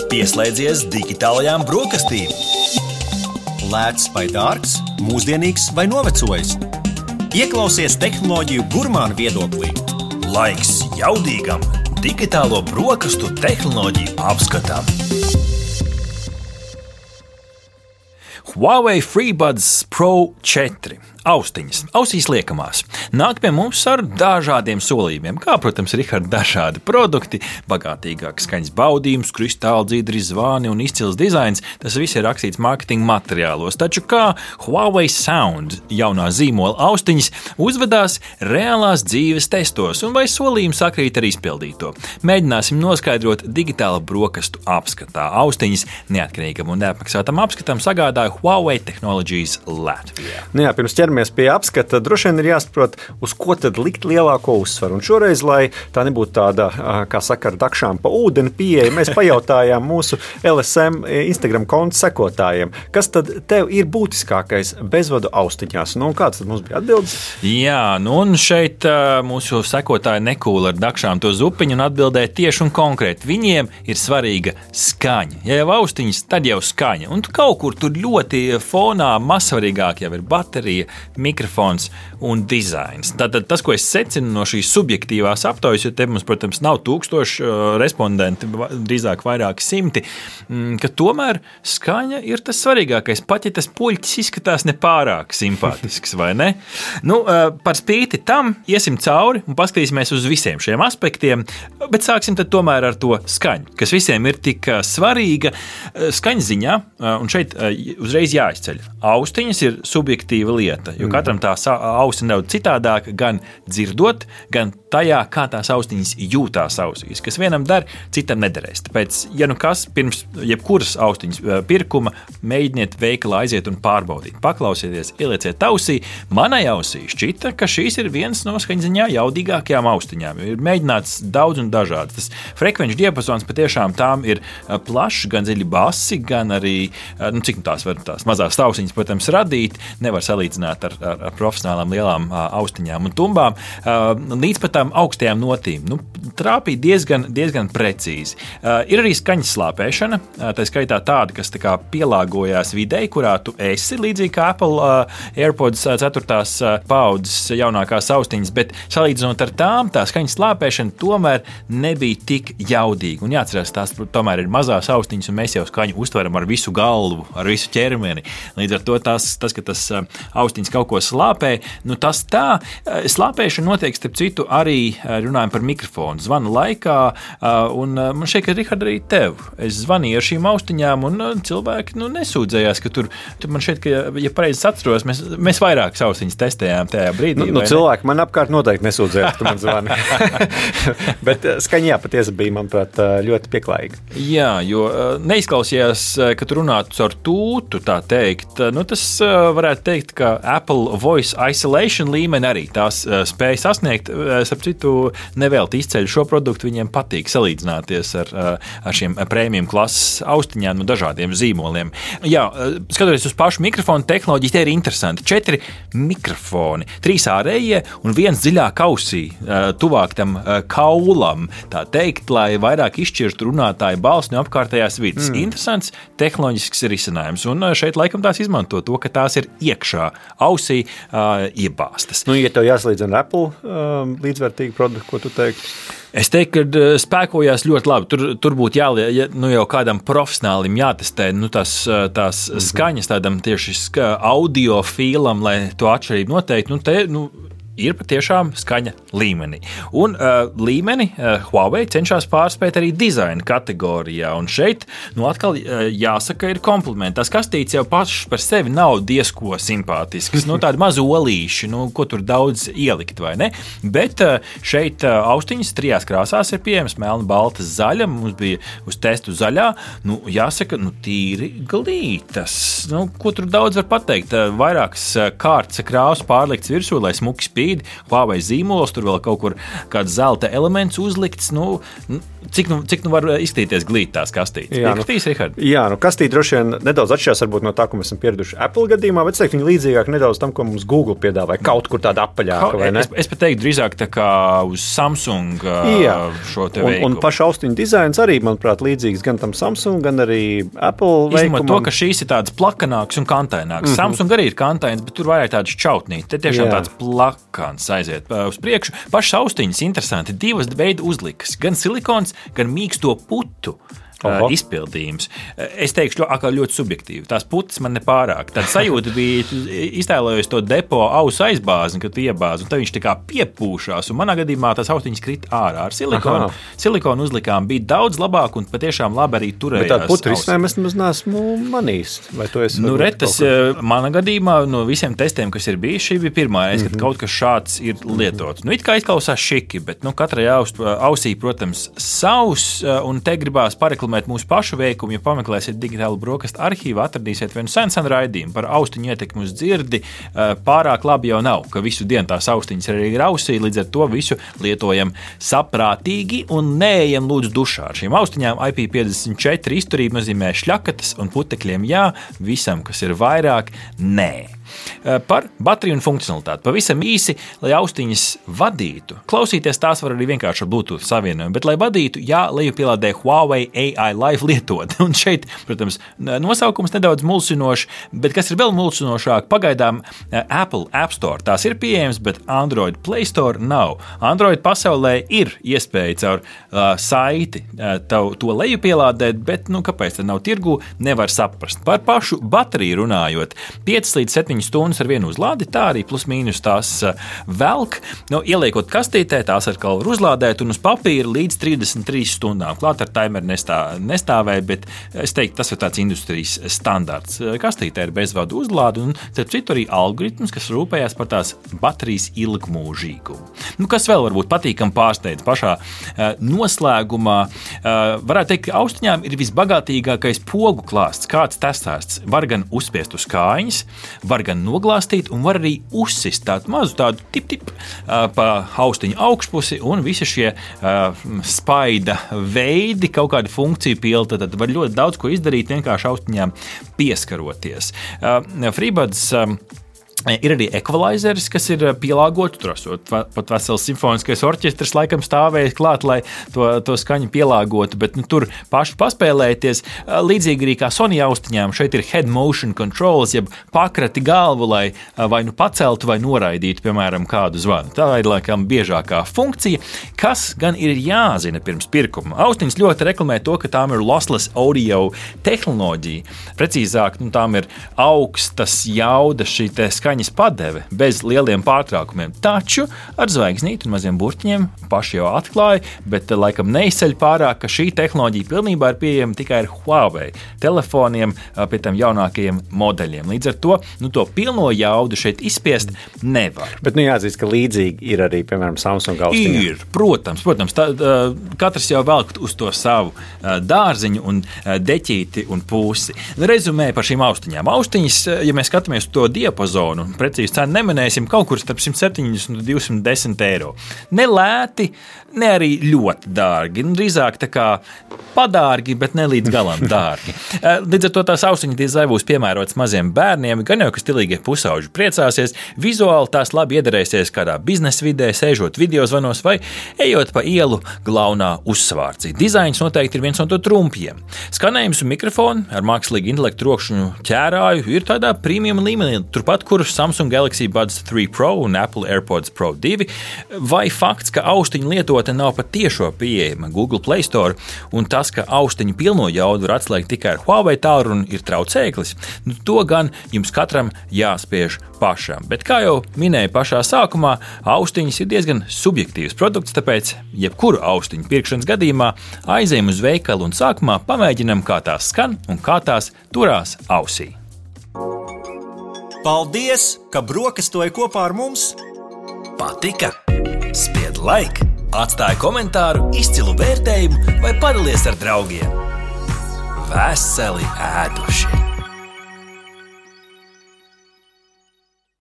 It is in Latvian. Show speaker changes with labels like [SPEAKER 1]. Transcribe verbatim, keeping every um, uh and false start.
[SPEAKER 1] Pieslēdzies digitālajām brokastīm. Lēts vai dārgs, mūsdienīgs vai novecojis. Ieklausies tehnoloģiju gurmānu viedoklī. Laiks jaudīgam digitālo brokastu tehnoloģiju apskatam. Huawei FreeBuds Pro četri. Austiņas, ausīs liekamās, nāk pie mums ar dažādiem solījumiem, kā, protams, Rihard, dažādi produkti, bagātīgāks skaņas baudījums, kristāli dzīdri zvani un izcils dizains. Tas viss ir rakstīts mārketinga materiālos. Taču kā Huawei Sound jaunā zīmola austiņas uzvedās reālās dzīves testos un vai solījumi sakrīt ar izpildīto? Mēģināsim noskaidrot digitāla brokastu apskatā. Austiņas neatkarīgam un neapmaksātam apskatam sagādāja Huawei Technologies Latvijā.
[SPEAKER 2] Nu jā, pirms ķeramies pie apskata, droši vien ir jāsaprot, uz ko tad likt lielāko uzsvaru. Un šoreiz, lai tā nebūtu tāda, kā saka, ar dakšām pa ūdeni pieeja, mēs pajautājām mūsu L S M Instagram konta sekotājiem, kas tad tev ir būtiskākais bezvadu austiņās. Nu, un kāds tad mums bija atbildes?
[SPEAKER 3] Jā, nu un šeit mūsu sekotāji nekūla ar dakšām to zupiņu un atbildēja tieši un konkrēti. Viņiem ir svarīga skaņa. Ja jau austiņas, tad jau skaņa. Un kaut kur tur ļoti fonā mazsvarīgāk jau ir baterija, mikrofons un dizains. Tātad tas, ko es secinu no šīs subjektīvās aptaujas, jo te mums, protams, nav tūkstoši respondenti, drīzāk vairāki simti, ka tomēr skaņa ir tas svarīgākais, pat ja tas puļķis izskatās nepārāk simpātisks, vai ne? Nu, par spīti tam iesim cauri un paskatīsimies uz visiem šiem aspektiem, bet sāksim tad tomēr ar to skaņu, kas visiem ir tik svarīga skaņas ziņā, un šeit uzreiz jāizceļ. Austiņas ir subjektīva lieta, jo katram tā auss ir nedaudz citādāka, gan dzirdot, gan tajā, kā tās austiņas jūtās ausīs, kas vienam der, citam nederēs. Tāpēc, ja nu kas, pirms jebkuras austiņas pirkuma, mēģiniet veikalā aiziet un pārbaudīt. Paklausieties, ielieciet ausī. Manai ausī šķita, ka šīs ir viens no skaņziņā jaudīgākajām austiņām. Ir mēģināts daudz un dažādas. Tas frekvenču diapazons patiešām tām ir plašs, gan dziļi basi, gan arī, nu, cik tās var tās mazās austiņas, protams, radīt, nevar salīdzināt ar, ar, ar profesionālām lielām austiņām un tumbām, līdz pat tām augstajām notīm. Nu, trāpīja diezgan, diezgan precīzi. Uh, ir arī skaņas slāpēšana, uh, tā skaitā tāda, kas tā kā pielāgojās videi, kurā tu esi, līdzīgi kā Apple uh, AirPods ceturtās uh, paudzes jaunākās austiņas, bet salīdzinot ar tām, tā skaņas slāpēšana tomēr nebija tik jaudīga. Un jāatcerās, tās tomēr ir mazās austiņas, un mēs jau skaņu uztveram ar visu galvu, ar visu ķermeni. Līdz ar to tās, tas, ka tas uh, austiņas kaut ko slāpē, nu tas tā, uh, slāpēšana notiek, starp citu, arī runājam par mikrofonu. Zvanu laikā, un man šeit, ka Rihard, arī tev. Es zvanīju ar šīm austiņām, un cilvēki nu, nesūdzējās, ka tur, tur man šeit, ka, ja pareizi atceros, mēs, mēs vairākas austiņas testējām tajā brīdī.
[SPEAKER 2] Nu, nu cilvēki man apkārt noteikti nesūdzējās, ka man zvani. Bet skaņā patiesi bija, manuprāt, ļoti pieklājīga.
[SPEAKER 3] Jā, jo neizklausījās, ka tu runātu caur tūtu, tā teikt. Nu, tas varētu teikt, ka Apple Voice Isolation līmeni arī tās spēja sasniegt. Starp citu, nevelti izceļ šo produktu, viņiem patīk salīdzināties ar, ar šiem prēmijum klases austiņām no dažādiem zīmoliem. Jā, skatoties uz pašu mikrofonu tehnoloģiju, tie ir interesanti. Četri mikrofoni, trīs ārējie un viens dziļāk ausī, tuvāk tam kaulam, tā teikt, lai vairāk izšķirtu runātāju balsi no apkārtējās vidas. Mm. Interesants tehnoloģisks risinājums, un šeit laikam tās izmanto to, ka tās ir iekšā ausī uh, iebāstas.
[SPEAKER 2] Nu, ja tev jāslīdzina ar Apple um, līdzvērtīgi produktu, ko tu teiktu?
[SPEAKER 3] Es teiktu, ka spēkojās ļoti labi. Tur, tur būtu jāliek, ja, nu jau kādam profesionālim jātestē nu, tās, tās mm-hmm. skaņas tādam tieši ska, audiofīlam, lai to atšķirību noteikti. Nu, te, nu, ir patiešām skaņa līmenī. Un uh, līmeni uh, Huawei cenšas pārspēt arī dizaina kategorijā. Un šeit, nu atkal uh, jāsaka, ir komplimenti. Tas kastīts jau pašs par sevi nav diezko simpātisks. Nu, tādi mazi olīši, nu, ko tur daudz ielikt, vai ne? Bet uh, šeit uh, austiņas trijās krāsās ir pieejams, melna, balta, zaļa. Mums bija uz testu zaļā. Nu, jāsaka, nu, tīri glītas. Nu, ko tur daudz var pateikt? Uh, vairākas uh, kārtas krāsu pārlikts virsū, lai smuki spīd. brīdi. Huawei zīmols, tur vēl kaut kur kāds zelta elements uzlikts. Nu, cik, nu, cik nu var izskatīties glīt tās kastītes?
[SPEAKER 2] Jā,
[SPEAKER 3] Piekritīs,
[SPEAKER 2] nu,
[SPEAKER 3] Rihard?
[SPEAKER 2] Jā, nu kastīte droši vien nedaudz atšķirās varbūt no tā, ko mēs esam pieraduši Apple gadījumā, bet es teiktu, viņi līdzīgāk nedaudz tam, ko mums Google piedāvāja, kaut kur tāda apaļāka, vai ne?
[SPEAKER 3] Es, es pat teiktu drīzāk tā kā uz Samsung
[SPEAKER 2] jā.
[SPEAKER 3] Šo te
[SPEAKER 2] un,
[SPEAKER 3] veikumu.
[SPEAKER 2] un paša austiņu dizains arī, manuprāt, līdzīgs gan tam Samsung, gan arī Apple veikumam.
[SPEAKER 3] Izņemot to, ka šīs ir tādas plakanākas un kantainākas. Mm-hmm. Samsung arī ir kantains, bet tur vairāk tādas čautnītes. Te tiešām jā. Tāds plakans aiziet uz priekšu. Pašas austiņas interesanti. Divas veidu uzlikas. Gan silikons, gan mīksto putu. Oho. Izpildījums. Es teikšu, ļoti, ļoti subjektīvi. Tās putas man nepārāk. Tāda sajūta bija, iztēlojos to depo ausu aizbāzi, kad tu iebāzi, un tad viņš tā kā piepūšās. Un manā gadījumā tās austiņas krita ārā ar silikonu. Aha. Silikonu uzlikām bija daudz labāk un patiešām labi arī turējās.
[SPEAKER 2] Bet tādu putu risinājumu es nemaz neesmu manījis. Vai tu esi?
[SPEAKER 3] Nu, retas, manā gadījumā no visiem testiem, kas ir bijuši, šī bija pirmā reize, kad mm-hmm. kaut kas šāds ir lietots. Nu, it kā izklausās šiki, bet nu, katrai ausī, protams, savs, un te gribās pareklamēt mūsu pašu veikumu, ja pameklēsiet digitālu brokastu arhīvu, atradīsiet vienu senu senu raidījumu par austiņu ietekmi uz dzirdi. Pārāk labi jau nav, ka visu dienu tās austiņas arī ir ausī, līdz ar to visu lietojam saprātīgi un neejam lūdzu dušā. Ar šīm austiņām I P piecdesmit četri izturība nozīmē šļakatas un putekļiem jā, visam, kas ir vairāk, nē. Par bateriju un funkcionalitāti. Pavisam īsi, lai austiņas vadītu. Klausīties tās var arī vienkārši ar Bluetooth savienojumu, bet, lai vadītu, jā, lejupielādē Huawei A I Live lietotni. Un šeit, protams, nosaukums nedaudz mulsinošs, bet kas ir vēl mulsinošāk, pagaidām Apple App Store tās ir pieejams, bet Android Play Store nav. Android pasaulē ir iespēja caur uh, saiti uh, tav, to lejupielādēt, bet, nu, kāpēc tad nav tirgū, nevar saprast. Par pašu bateriju runājot, piecas līdz septiņas stundas ar vienu uzlādi, tā arī plus mīnus tās velk. Nu, ieliekot kastītē, tās ar kalvu uzlādēt un uz papīra līdz trīsdesmit trīs stundām. Klāt ar timeru nestā, nestāvēja, bet es teiktu, tas ir tāds industrijas standarts. Kastītē ir bezvadu uzlādi un, starp citu, arī algoritms, kas rūpējās par tās baterijas ilgmūžīgumu. Nu, kas vēl varbūt patīkam pārsteidz pašā uh, noslēgumā? Uh, varētu teikt, ka austiņām ir visbagātīgākais pogu klāsts, kāds testēts. Var gan uzspiest uz kājiņas, var gan noglāstīt un var arī uzsist tādu mazu tādu tip-tip uh, pa austiņu augšpusi un visi šie uh, spaida veidi, kaut kāda funkcija pilta, tad var ļoti daudz ko izdarīt vienkārši austiņām pieskaroties. Uh, FreeBuds um, Ir arī ekvalizers, kas ir pielāgots, tur esot pat vesels simfoniskais orķestris laikam stāvējis klāt, lai to, to skaņu pielāgotu, bet nu, tur paši paspēlēties. Līdzīgi arī kā Sony austiņām, šeit ir head motion controls, jeb pakrati galvu, lai vai nu paceltu vai noraidītu, piemēram, kādu zvanu. Tā ir laikam biežākā funkcija, kas gan ir jāzina pirms pirkuma. Austiņas ļoti reklamē to, ka tām ir lossless audio tehnoloģija. Precīzāk, nu, tām ir augstas jaudas šī te skaņas padeve bez lieliem pārtraukumiem. Taču ar zvaigznīti un maziem burtiņiem paši jau atklāja, bet laikam neizceļ pārāk, ka šī tehnoloģija pilnībā ir pieejama tikai ar Huawei telefoniem, pie tiem jaunākajiem modeļiem. Līdz ar to, nu, to pilno jaudu šeit izspiest nevar.
[SPEAKER 2] Bet nu jāatzīst, ka līdzīgi ir arī, piemēram, Samsung austiņa.
[SPEAKER 3] Ir, protams, protams. Tā, katrs jau velk uz to savu dārziņu un deķīti un pūsi. Rezumē par šīm austiņām. Austiņas, ja mēs skatāmies to diapazonu, precīzi cenu neminēsim, kaut kur starp simt septiņdesmit un divsimt desmit eiro. Ne lēti, ne arī ļoti dārgi. Drīzāk tā kā padārgi, bet ne līdz galam dārgi. Līdz ar to tās austiņas diezai būs piemērotas maziem bērniem, gan jau, ka stilīgie pusauģi priecāsies, vizuāli tās labi iederēsies kādā biznesa vidē, sēžot videozvanos vai ejot pa ielu glaunā uzsvārcī. Dizains noteikti ir viens no to trumpiem. Skanējums un mikrofoni ar mākslīgu intelektu rokšņu ķērāju ir tādā premium līmenī, turpat, kur Samsung Galaxy Buds trīs Pro un Apple AirPods Pro divi, vai fakts, ka austiņu lietotne nav pat tiešo pieejama Google Play Store, un tas, ka austiņu pilno jaudu var atslēgt tikai ar Huawei tālruni, ir traucēklis, nu, to gan jums katram jāspiež pašam. Bet, kā jau minēju pašā sākumā, austiņas ir diezgan subjektīvs produkts, tāpēc jebkuru austiņu pirkšanas gadījumā aizejam uz veikalu un sākumā pamēģinam, kā tās skan un kā tās turās ausī.
[SPEAKER 4] Paldies, ka brokastoji kopā ar mums!
[SPEAKER 1] Patika? Spied like, atstāj komentāru, izcilu vērtējumu vai padalies ar draugiem. Veseli ēduši!